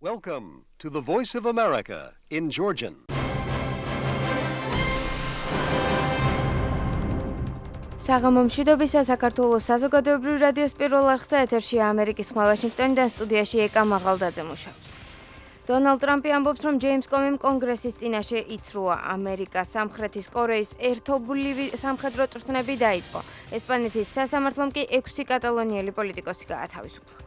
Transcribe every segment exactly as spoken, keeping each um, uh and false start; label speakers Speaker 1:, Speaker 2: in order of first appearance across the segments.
Speaker 1: Welcome to the Voice of America in Georgian.
Speaker 2: საღამომშვიდობისა საქართველოს საზოგადოებრივ რადიოს პირველ არხზე ეთერშია ამერიკის ხმა ვაშინგტონიდან სტუდიაში ეკა მაღალდაძე მუშაობს. დონალდ ტრამპი ამბობს, რომ ჯეიმს კომიმ კონგრესის წინაშე იცრუა. ამერიკა სამხრეთის კორეის ერთობლივი სამხედრო წვრთნები დაიწყო. ესპანეთის სასამართლომ კი ექვსი კატალონიელი პოლიტიკოსი გაათავისუფლა.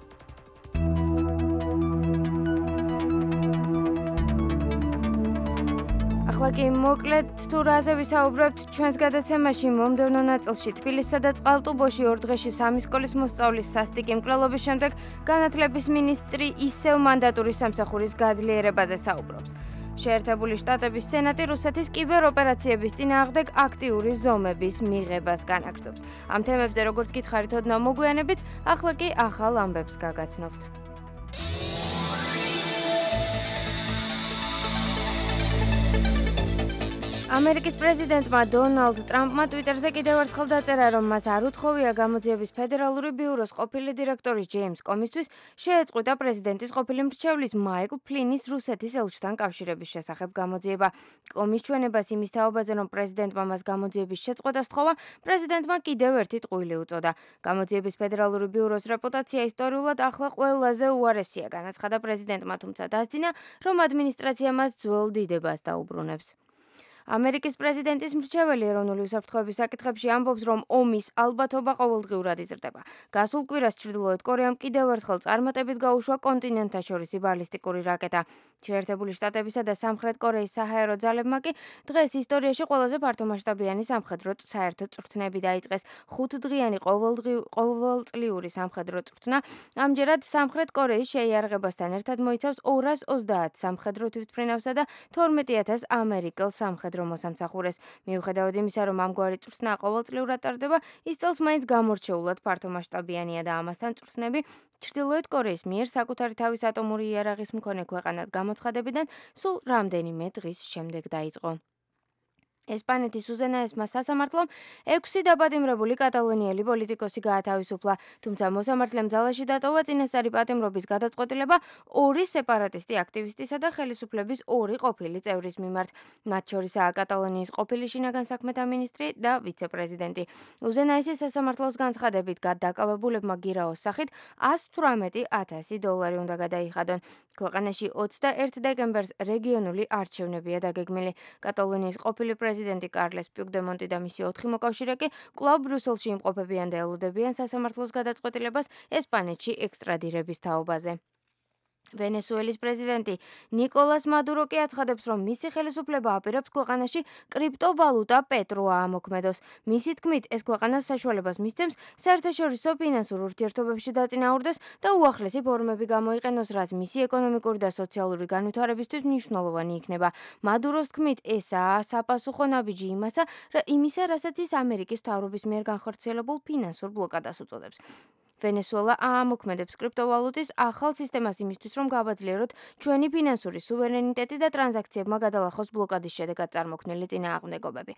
Speaker 2: ახლა კი მოკლედ თუ რაზე ვისაუბრებთ ჩვენს გადაცემაში მომდევნო ნაწილში თბილისსა და წყალტუბოში ორ დღეში სამი სკოლის მოსწავლის სასტიკი მკვლელობის შემდეგ განათლების მინისტრი ისევ მანდატური სამსახურის გაძლიერებაზე საუბრობს. შეერთებული შტატების სენატი რუსეთის კიბეროპერაციების წინააღმდეგ აქტიური ზომების მიღებას განაგრძობს. ამ თემებზე როგორც გითხარით ოდნავ მოგვიანებით, ახლა კი ახალ ამბებს გაგაცნობთ. ამერიკის პრეზიდენტმა დონალდ ტრამპმა ტვიტერზე კიდევ ერთხელ დაწერა, რომ მას არ უთხოვია გამოძიების ფედერალური ბიუროს ყოფილი დირექტორის ჯეიმს კომისთვის შეეწყვიტა პრეზიდენტის ყოფილი მრჩევლის მაიკლ ფლინის რუსეთის ელჩთან კავშირების შესახებ გამოძიება. კომის ჩვენებას იმის თაობაზე, რომ პრეზიდენტმა მას გამოძიების შეწყვეტა სთხოვა, პრეზიდენტმა კიდევ ერთი ტყუილი უწოდა. გამოძიების ფედერალური ბიუროს რეპუტაცია ისტორიულად ახლა ყველაზე უარესია, განაცხადა პრეზიდენტმა, თუმცა დასძინა, რომ ადმინისტრაცია მას ძველ დიდებას დაუბრუნებს. ამერიკის პრეზიდენტის მრჩეველი ეროვნული უსაფრთხოების საკითხებში ამბობს, რომ ომის ალბათობა ყოველდღიურად იზრდება. გასულ კვირას ჩრდილოეთ კორეამ კიდევ ერთხელ წარმატებით გაუშვა კონტინენტთაშორისი ბალისტიკური რაკეტა. შეერთებული შტატებისა და სამხრეთ კორეის საჰაერო ძალებმა კი დღეს ისტორიაში ყველაზე ფართომასშტაბიანი სამხედრო საერთო წვრთნები დაიწყეს. ხუთდღიანი ყოველწლიური სამხედრო წვრთნა ამჯერად სამხრეთ კორეის შეიარაღებასთან ერთად მოიცავს ორას ოცდაათ სამხედრო თვითმფრინავსა და თორმეტი ათას ამერიკელ სამხედრო მოსამსახურეს. მიუხედავად იმისა, რომ ამგვარი წვრთნა ყოველწლიურად ტარდება, ის წელს მაინც გამორჩეულად ფართომასშტაბიანია და ამასთან წვრთნები ჩრდილოეთ კორეის მიერ საკუთარი თავის ატომური იარაღის მქონე ქვეყანად გამოცხადებიდან სულ რამდენიმე დღის შემდეგ დაიწყო. ესპანეთის უზენაესმა სასამართლომ ექვსი დაპატიმრებული კატალონიელი პოლიტიკოსი გაათავისუფლა, თუმცა მოსამართლემ ძალაში დატოვა წინასწარი პატიმრობის გადაწყვეტილება ორი სეპარატისტი აქტივისტისა და ხელისუფლების ორი ყოფილი წევრის მიმართ. მათ შორისაა კატალონიის ყოფილი შინაგან საქმეთა მინისტრი და ვიცე-პრეზიდენტი. უზენაესის სასამართლოს განცხადებით გადაკავებულებმა გირაოს სახით ას თვრამეტი ათასი დოლარი უნდა გადაიხადონ. ქვეყანაში ოცდაერთ დეკემბერს რეგიონული არჩევნებია დაგეგმილი. კატალონიის ყოფილი პრეზიდენტი კარლეს პიუგდემონტი და მისი ოთხი მოკავშირე კი კვლავ ბრიუსელში იმყოფებიან და ელოდებიან სასამართლოს გადაწყვეტილებას ესპანეთში ექსტრადირების თაობაზე. ვენესუელის პრეზიდენტი ნიკოლას მადურო კი აცხადებს, რომ მისი ხელისუფლება აპირებს ქვეყანაში კრიპტოვალუტა პეტროა ამოქმედოს. მისი თქმით, ეს ქვეყანას საშუალებას მისცემს საერთაშორისო ფინანსურ ურთიერთობებში დაწინაურდეს და უახლესი ფორმები გამოიყენოს, რაც მისი ეკონომიკური და სოციალური განვითარებისთვის მნიშვნელოვანი იქნება. მადუროს თქმით, ესაა საპასუხო ნაბიჯი იმასა, იმისა, რასაც ის ამერიკის მთავრობის მიერ განხორციელებულ ფინანსურ ბლოკადას უწოდებს. ვენესუელა აამოქმედებს კრიპტოვალუტის ახალ სისტემას იმისთვის, რომ გავაძლიეროთ ჩვენი ფინანსური სუვერენიტეტი და ტრანზაქციებმა გადალახოს ბლოკადის შედეგად წარმოქმნილი წინააღმდეგობები.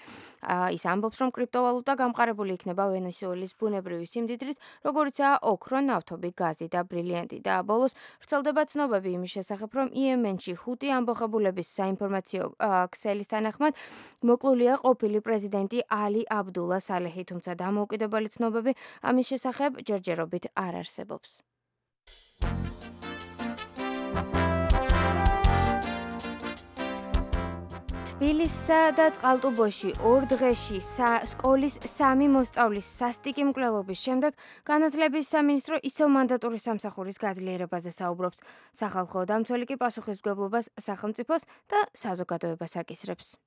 Speaker 2: ის ამბობს, რომ კრიპტოვალუტა გამყარებული იქნება ვენესუელის ბუნებრივი სიმდიდრით, როგორიცაა ოქრო, ნავთობი, გაზი და ბრილიანტი. და ბოლოს ვრცელდება ცნობები იმის შესახებ, რომ იემენში ჰუტი ამბოხებულების საინფორმაციო ქსელის თანახმად მოკლულია ყოფილი პრეზიდენტი ალი აბდულა სალეჰი, თუმცა დამოუკიდებელი ცნობები ამის შესახებ ჯერჯერობით არ არსებობს. თბილისსა და წყალტუბოში ორ დღეში სკოლის სამი მოსწავლის სასტიკი მკვლელობის შემდეგ განათლების სამინისტრო ისევ მანდატური სამსახურის გაძლიერებაზე საუბრობს. სახალხო დამცველი კი პასუხისმგებლობას სახელმწიფოს და საზოგადოებას აკისრებს.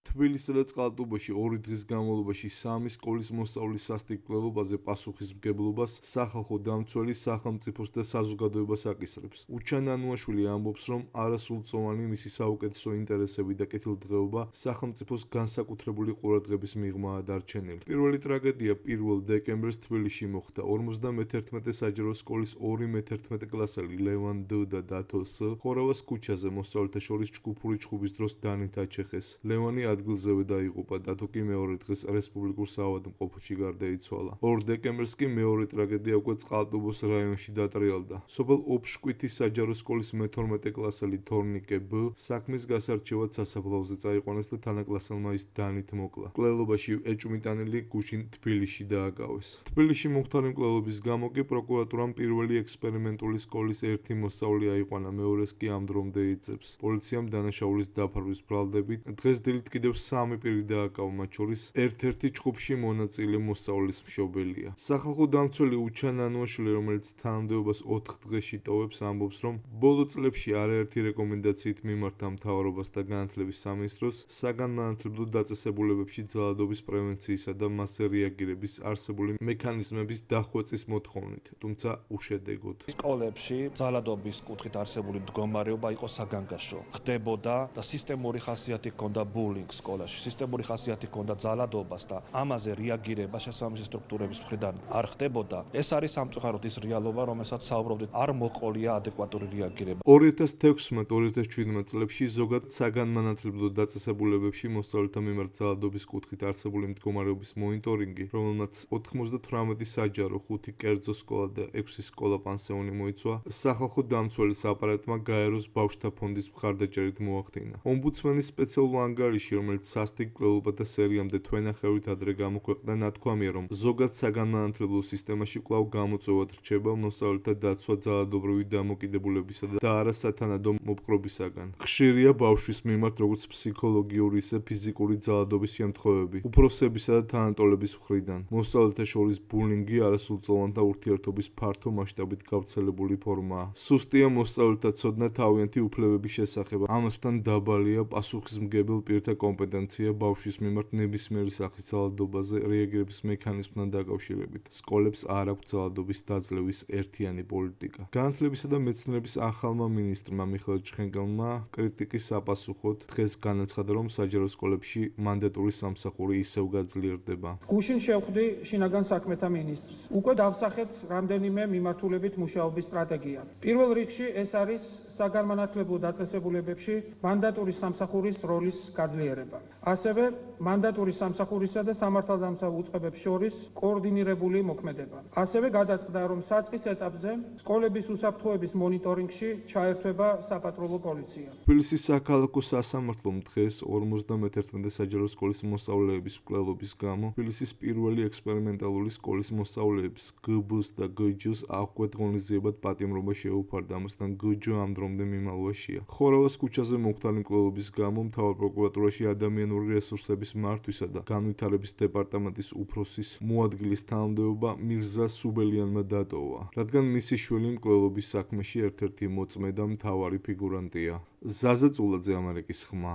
Speaker 3: თბილისსა და წყალტუბოში ორი დღის განმავლობაში სამი სკოლის მოსწავლის სასტიკ მკვლელობაზე პასუხისმგებლობას სახალხო დამცველი სახელმწიფოს და საზოგადოებას აკისრებს. უჩან ანუაშვილი ამბობს, რომ არასრულწლოვანი მისი საუკეთესო ინტერესები და კეთილდღეობა სახელმწიფოს განსაკუთრებული ყურადღების მიღმაა დარჩენილი. პირველი ტრაგედია პირველ დეკემბერს თბილისში მოხდა. ორმოცდამეთერთმეტე საჯარო სკოლის ორი მეთერთმეტე კლასელი ლევან დ და დათო ს ხორავას ქუჩაზე მოსწავლეთა შორის ჯგუფური ჩხუბის დროს დანით აჩეხეს. ლევანი ადგილზევე დაიღუპა და თუ კი მეორე დღეს რესპუბლიკურ საავადმყოფოში გარდაიცვალა. ორ დეკემბერს კი მეორე ტრაგედია უკვე წყალტუბოს რაიონში დატრიალდა. სოფელ ოფშკვითის საჯარო სკოლის მეთორმეტე კლასელი თორნიკე ბ საქმის გასარჩევად სასაფლაოზე წაიყვანეს და თანაკლასელმა ის დანით მოკლა. მკვლელობაში ეჭვმიტანილი გუშინ თბილისში დააკავეს. თბილისში მომხდარი მკვლელობის გამო კი პროკურატურამ პირველი ექსპერიმენტული სკოლის ერთი მოსწავლე აიყვანა, მეორეს კი ამ დრომდე იძებს. პოლიციამ დანაშაულის დაფარვის ბრალდებით დღეს დილით კიდევ სამი პირი დააკავა, მათ შორის ერთ-ერთი ჯგუფში მონაწილე მოსწავლის მშობელია. სახალხო დამცველი უჩან ანუაშვილი, რომელიც თანამდებობას ოთხ დღეში ტოვებს, ამბობს, რომ ბოლო წლებში არაერთი რეკომენდაციით მიმართა მთავრობას და განათლების სამინისტროს საგანმანათლებლო დაწესებულებებში ძალადობის პრევენციისა და მასზე რეაგირების არსებული მექანიზმების დახვეწის მოთხოვნით, თუმცა უშედეგოდ.
Speaker 4: სკოლებში ძალადობის კუთხით არსებული მდგომარეობა იყო საგანგაშო. ხდებოდა და სისტემური ხასიათი ჰქონდა ბულინგ სკოლაში, სისტემური ხასიათი ჰქონდა ძალადობას და ამაზე რეაგირება შესაბამისი სტრუქტურების მხრიდან არ ხდებოდა. ეს არის სამწუხაროდ ის რეალობა, რომელსაც საუბრობდით, არ მოყოლია ადეკვატური რეაგირება.
Speaker 3: ორი ათას თექვსმეტ ორი ათას შვიდმეტ წლებში ზოგად საგანმანათლებლო დაწესებულებებში მოსწავლეთა მიმართ ძალადობის კუთხით არსებული მდგომარეობის მონიტორინგი, რომელმაც ოთხმოცდათვრამეტი საჯარო, ხუთი კერძო სკოლა და ექვსი სკოლა პანსიონი მოიცვა, სახალხო დამცველის აპარატმა გაეროს ბავშვთა ფონდის მხარდაჭერით მოახდინა. ომბუდსმენის სპეციალურ ანგარიში, რომელიც სასტიკ მკვლელობათა სერიამდე თვენახევრით ადრე გამოქვეყნდა, ნათქვამია, რომ ზოგად საგანმანათლებლო სისტემაში კვლავ გამოწვევად რჩება მოსწავლეთა დაცვა ძალადობრივი დამოკიდებულებისა და არასათანადო მოპყრობისაგან. ხშირია ბავშვის მიმართ როგორც ფსიქოლოგიური, ისე ფიზიკური ძალადობის შემთხვევები, უფროსებისა და თანატოლების მხრიდან. მოსწავლეთა შორის ბულინგი არასრულწლოვანთა ურთიერთობის ფართო მასშტაბით გავრცელებული ფორმაა. სუსტია მოსწავლეთა ცოდნა თავიანთი უფლებების შესახებ. ამასთან დაბალია პასუხისმგებელ პირთა კომპეტენცია ბავშვის მიმართ ნებისმიერი სახის ძალადობაზე რეაგირების მექანიზმთან დაკავშირებით. სკოლებს არ აქვს ძალადობის დაძლევის ერთიანი პოლიტიკა. განათლებისა და მეცნიერების ახალმა მინისტრმა მიხეილ ჩხენკელმა კრიტიკის საპასუხოდ დღეს განაცხადა, რომ საჯარო სკოლებში მანდატური სამსახური ისევ გაძლიერდება.
Speaker 5: გუშინ შევხვდი შინაგან საქმეთა მინისტრს. უკვე დავსახეთ რამდენიმე მიმართულებით მუშაობის სტრატეგია. პირველ რიგში ეს არის საგანმანათლებლო დაწესებულებებში მანდატური სამსახურის როლის გაძლიერება. ასევე მანდატური სამსახურისა და სამართალდამცავ უწყებებს შორის კოორდინირებული მოქმედება. ასევე გადაწყდა, რომ საწყის ეტაპზე სკოლების უსაფრთხოების მონიტორინგში ჩაერთვება საპატრულო პოლიცია.
Speaker 3: თბილისის საქალაქო სასამართლომ დღეს ორმოცდამეთერთმეტე საჯარო სკოლის მოსწავლეების მკვლელობის გამო თბილისის პირველი ექსპერიმენტალური სკოლის მოსწავლეებს გ-ბ-ს და გ-ჯ-ს აღკვეთ ღონისძიებად პატიმრობა შეუფარდა, ამასთან გ-ჯ ამ დრომდე მიმალვაშია. ხორავას ქუჩაზე მომხდარი მკვლელობის გამო მთავარ პროკურატურაში ადამიანური რესურსების მართვისა და განვითარების დეპარტამენტის უფროსის მოადგილის თანამდებობა მირზა სუბელიანმა დატოვა, რადგან მისი შვილი მკვლელობის საქმეში ერთ-ერთი მოწმე და მთავარი ფიგურანტია. ზაზა წულაძე, ამერიკის ხმა.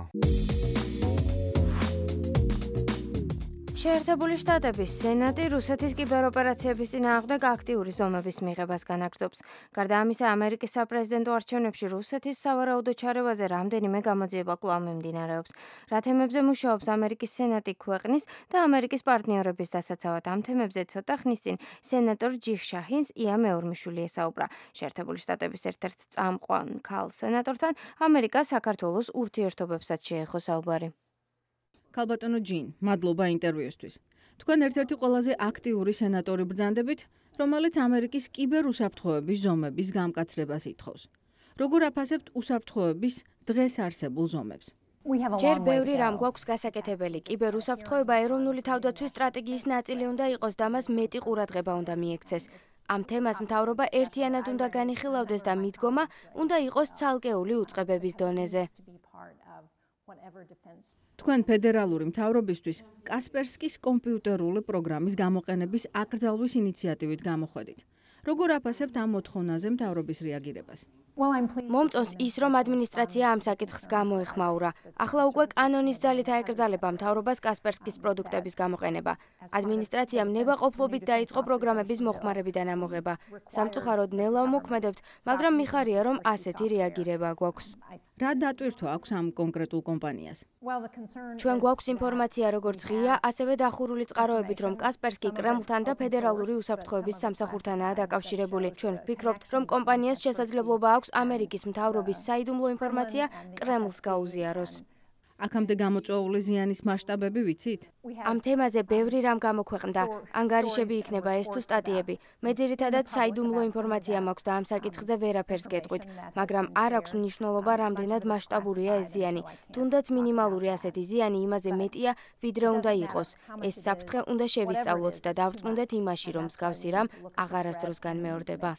Speaker 2: შეერთებული შტატების სენატი რუსეთის კიბეროპერაციების წინააღმდეგ აქტიური ზომების მიღებას განაგრძობს. გარდა ამისა, ამერიკის საპრეზიდენტო არჩევნებში რუსეთის სავარაუდო ჩარევაზე რამდენიმე გამოძიება კვლავ მიმდინარეობს. რა თემებზე მუშაობს ამერიკის სენატი ქვეყნის და ამერიკის პარტნიორების დასაცავად, ამ თემებზე ცოტა ხნის წინ სენატორ ჯიხ შაჰინს ია მეორმიშვილი ესაუბრა. შეერთებული შტატების ერთ-ერთ წამყვან ქალ სენატორთან ამერიკა საქართველოს ურთიერთობებსაც შეეხო საუბარი.
Speaker 6: ქალბატონო ჯინ, მადლობა ინტერვიუსთვის. თქვენ ერთ-ერთი ყველაზე აქტიური სენატორი ბრძანდებით, რომელიც ამერიკის კიბერუსაფრთხოების ზომების გამკაცრებას ითხოვს. როგორ აფასებთ უსაფრთხოების დღეს არსებულ ზომებს?
Speaker 2: ჯერ ბევრი რამ გვაქვს გასაკეთებელი. კიბერუსაფრთხოება ეროვნული თავდაცვის სტრატეგიის ნაწილი უნდა იყოს და მას მეტი ყურადღება უნდა მიექცეს. ამ თემას მთავრობა ერთიანად უნდა განიხილავდეს და მიდგომა უნდა იყოს ცალკეული უწყებების დონეზე.
Speaker 6: თქვენ ფედერალური მთავრობისთვის კასპერსკის კომპიუტერული პროგრამის გამოყენების აკრძალვის ინიციატივით გამოხვედით. როგორ აფასებთ ამ მოთხოვნაზე მთავრობის რეაგირებას?
Speaker 2: მომწონს ის, რომ ადმინისტრაცია ამ საკითხს გამოეხმაურა. ახლა უკვე კანონის ძალით აეკრძალება მთავრობას კასპერსკის პროდუქტების გამოყენება. ადმინისტრაციამ ნებაყოფლობით დაიწყო პროგრამების მოხმარებიდან ამოღება. სამწუხაროდ ნელა ვმოქმედებთ, მაგრამ მიხარია, რომ ასეთი რეაგირება გვაქვს.
Speaker 6: რა დატვირთვა აქვს ამ კონკრეტულ კომპანიას?
Speaker 2: ჩვენ გვაქვს ინფორმაცია როგორც ღია, ასევე დახურული წყაროებით, რომ კასპერსკი კრემლთან და ფედერალური უსაფრთხოების სამსახურთანაა დაკავშირებული. ჩვენ ვფიქრობთ, რომ კომპანიას შესაძლებლობა აქვს ამერიკის მთავრობის საიდუმლო ინფორმაცია კრემლს გაუზიაროს.
Speaker 6: აქამდე გამოწვეული ზიანის მასშტაბები ვიცით?
Speaker 2: ამ თემაზე ბევრი რამ გამოქვეყნდა. ანგარიშები იქნება ეს თუ სტატიები. მე ძირითადად საიდუმლო ინფორმაცია მაქვს და ამ საკითხზე ვერაფერს გეტყვით, მაგრამ არ აქვს მნიშვნელობა, რამდენად მასშტაბურია ეს ზიანი. თუნდაც მინიმალური ასეთი ზიანი იმაზე მეტია, ვიდრე უნდა იყოს. ეს საფრთხე უნდა შევისწავლოთ და დავწმუნდეთ იმაში, რომ მსგავსი რამ აღარასდროს განმეორდება.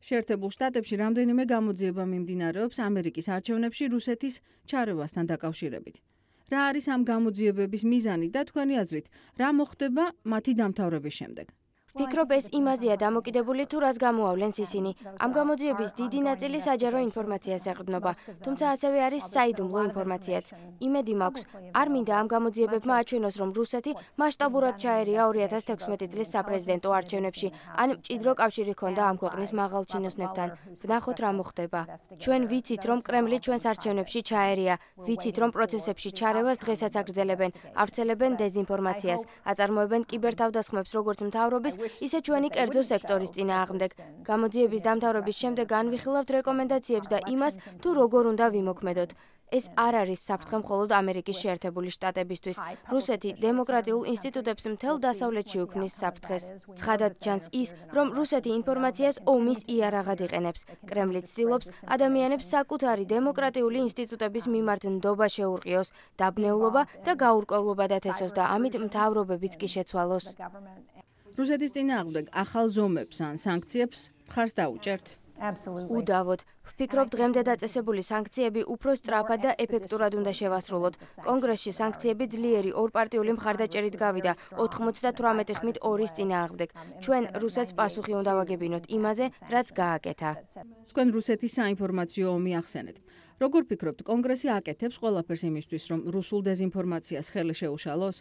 Speaker 6: შეერთებულ შტატებში რამდენიმე გამოძიება მიმდინარეობს ამერიკის არჩევნებში რუსეთის ჩარევასთან დაკავშირებით. რა არის ამ გამოძიებების მიზანი და თქვენი აზრით, რა მოხდება მათი დამთავრების შემდეგ?
Speaker 2: ვფიქრობ, ეს იმაზეა დამოკიდებული, თუ რას გამოავლენს ისინი. ამ გამოძიების დიდი ნაწილი საჯარო ინფორმაციას ეყრდნობა, თუმცა ასევე არის საიდუმლო ინფორმაციაც. იმედი მაქვს, არ მინდა ამ გამოძიებებმა აჩვენოს, რომ რუსეთი მასშტაბურად ჩაერია ორი ათას თექვსმეტი წლის საპრეზიდენტო არჩევნებში, ან მჭიდრო კავშირი ჰქონდა ამ ქვეყნის მაღალჩინოსნებთან. ვნახოთ რა მოხდება. ჩვენ ვიცით, რომ კრემლი ჩვენს არჩევნებში ჩაერია, ვიცით, რომ პროცესებში ჩარევას დღესაც აგრძელებენ, ავრცელებენ დეზინფორმაციას, აწარმოებენ კიბერთავდასხმებს როგორც მთავრობის, ისე ჩვენი კერძო სექტორის წინააღმდეგ. გამოძიების დამთავრების შემდეგ განვიხილავთ რეკომენდაციებს და იმას, თუ როგორ უნდა ვიმოქმედოთ. ეს არ არის საფრთხე მხოლოდ ამერიკის შეერთებული შტატებისთვის. რუსეთი დემოკრატიულ ინსტიტუტებს მთელ დასავლეთში უქმნის საფრთხეს. ცხადად ჩანს ის, რომ რუსეთი ინფორმაციას ომის იარაღად იყენებს. კრემლი ცდილობს ადამიანებს საკუთარი დემოკრატიული ინსტიტუტების მიმართ ნდობა შეურყიოს, დაბნეულობა და გაურკვევლობა დათესოს და ამით მთავრობებიც კი შეცვალოს.
Speaker 6: რუსეთის წინააღმდეგ ახალ ზომებს ან სანქციებს მხარს დაუჭერთ?
Speaker 2: უდავოდ. ვფიქრობ, დღემდე დაწესებული სანქციები უფრო სწრაფად და ეფექტურად უნდა შევასრულოთ. კონგრესში სანქციები ძლიერი ორპარტიული მხარდაჭერით გავიდა ოთხმოცდათვრამეტი ხმით ორის წინააღმდეგ. ჩვენ რუსეთს პასუხი უნდა ვაგებინოთ იმაზე, რაც გააკეთა.
Speaker 6: თქვენ რუსეთის საინფორმაციო ომი ახსენეთ. როგორ ფიქრობთ, კონგრესი აკეთებს ყველაფერს იმისთვის, რომ რუსულ დეზინფორმაციას ხელი შეუშალოს?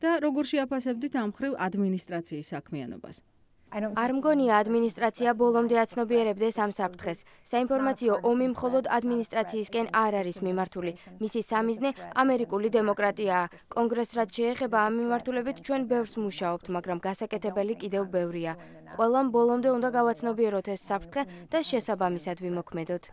Speaker 6: და როგორ შეაფასებდით ამ მხრივ ადმინისტრაციის საქმიანობას?
Speaker 2: არ მგონია ადმინისტრაცია ბოლომდე აცნობიერებდეს ამ საფრთხეს. საინფორმაციო ომი მხოლოდ ადმინისტრაციისკენ არ არის მიმართული. მისი სამიზნე ამერიკული დემოკრატიაა. კონგრესს რაც შეეხება ამ მიმართულებით ჩვენ ბევრს მუშაობთ, მაგრამ გასაკეთებელი კიდევ ბევრია. ყველამ ბოლომდე უნდა გავაცნობიეროთ ეს საფრთხე და შესაბამისად ვიმოქმედოთ.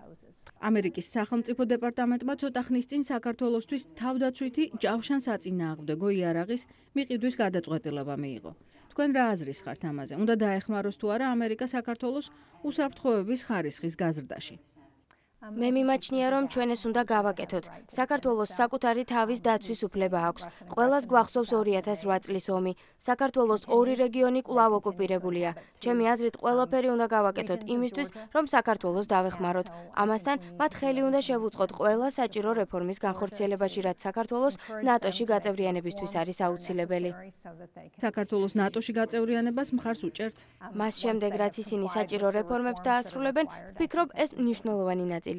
Speaker 6: ამერიკის სახელმწიფო დეპარტამენტმა ცოტა ხნის წინ საქართველოსთვის თავდაცვითი ჯავშანსაწინააღმდეგო იარაღის მიყიდვის გადაწყვეტილება მიიღო. თქვენ რა აზრის ხართ ამაზე? უნდა დაეხმაროს თუ არა ამერიკა საქართველოს უსაფრთხოების ხარისხის გაზრდაში?
Speaker 2: მე მიმაჩნია, რომ ჩვენ ეს უნდა გავაკეთოთ. საქართველოს საკუთარი თავის დაცვის უფლება აქვს. ყველას გვახსოვს ორი ათას რვა წლის ომი. საქართველოს ორი რეგიონი კვლავ ოკუპირებულია. ჩემი აზრით, ყველაფერი უნდა გავაკეთოთ იმისთვის, რომ საქართველოს დავეხმაროთ. ამასთან, მათ ხელი უნდა შევუწყოთ ყველა საჭირო რეფორმის განხორციელებაში, რაც საქართველოს ნატოში გაწევრიანებისთვის არის აუცილებელი.
Speaker 6: საქართველოს ნატოში გაწევრიანებას მხარს უჭერთ?
Speaker 2: მას შემდეგ, რაც ისინი საჭირო რეფორმებს დაასრულებენ, ვფიქრობ, ეს მნიშვნელოვანი ნაწილია.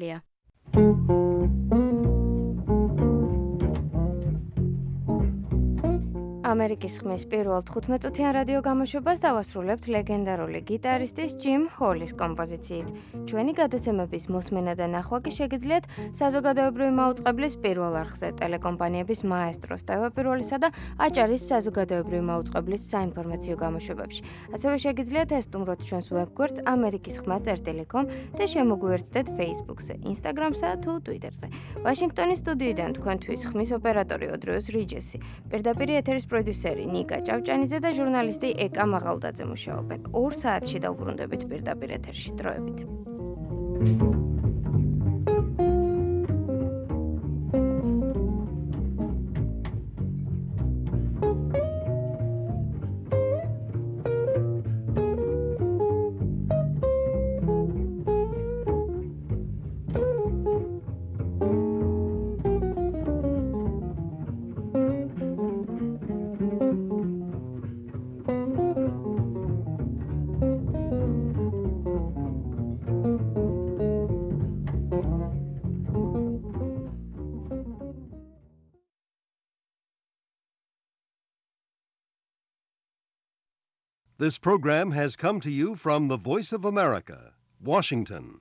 Speaker 2: ამერიკის ხმის პირველ თხუთმეტ-წუთიან რადიო გამოშვებას დავასრულებთ ლეგენდარული გიტარისტის ჯიმ ჰოლის კომპოზიციით. ჩვენი გადაცემების მოსმენა და ნახვა კი შეგიძლიათ საზოგადოებრივი მაუწყებლის პირველ არხზე, ტელეკომპანიების მაესტროს, ტევ-პირველისა და აჭარის საზოგადოებრივი მაუწყებლის საინფორმაციო გამოშვებებში. ასევე შეგიძლიათ ესტუმროთ ჩვენს ვებგვერდს ამერიკის ხმა წერტილი კომ და შემოგვიერთდეთ Facebook-ზე, Instagram-სა თუ Twitter-ზე. ვაშინგტონის სტუდიიდან თქვენთვის ხმის ოპერატორი ოდრიოს რიჯესი, პირდაპირ ეთერის პროდიუსერი ნიკა ჭავჭანიძე და ჟურნალისტი ეკა მაღალდაძე მუშაობენ. ორ საათში დავბრუნდებით პირდაპირ ეთერში. დროებით.
Speaker 1: This program has come to you from the Voice of America, Washington.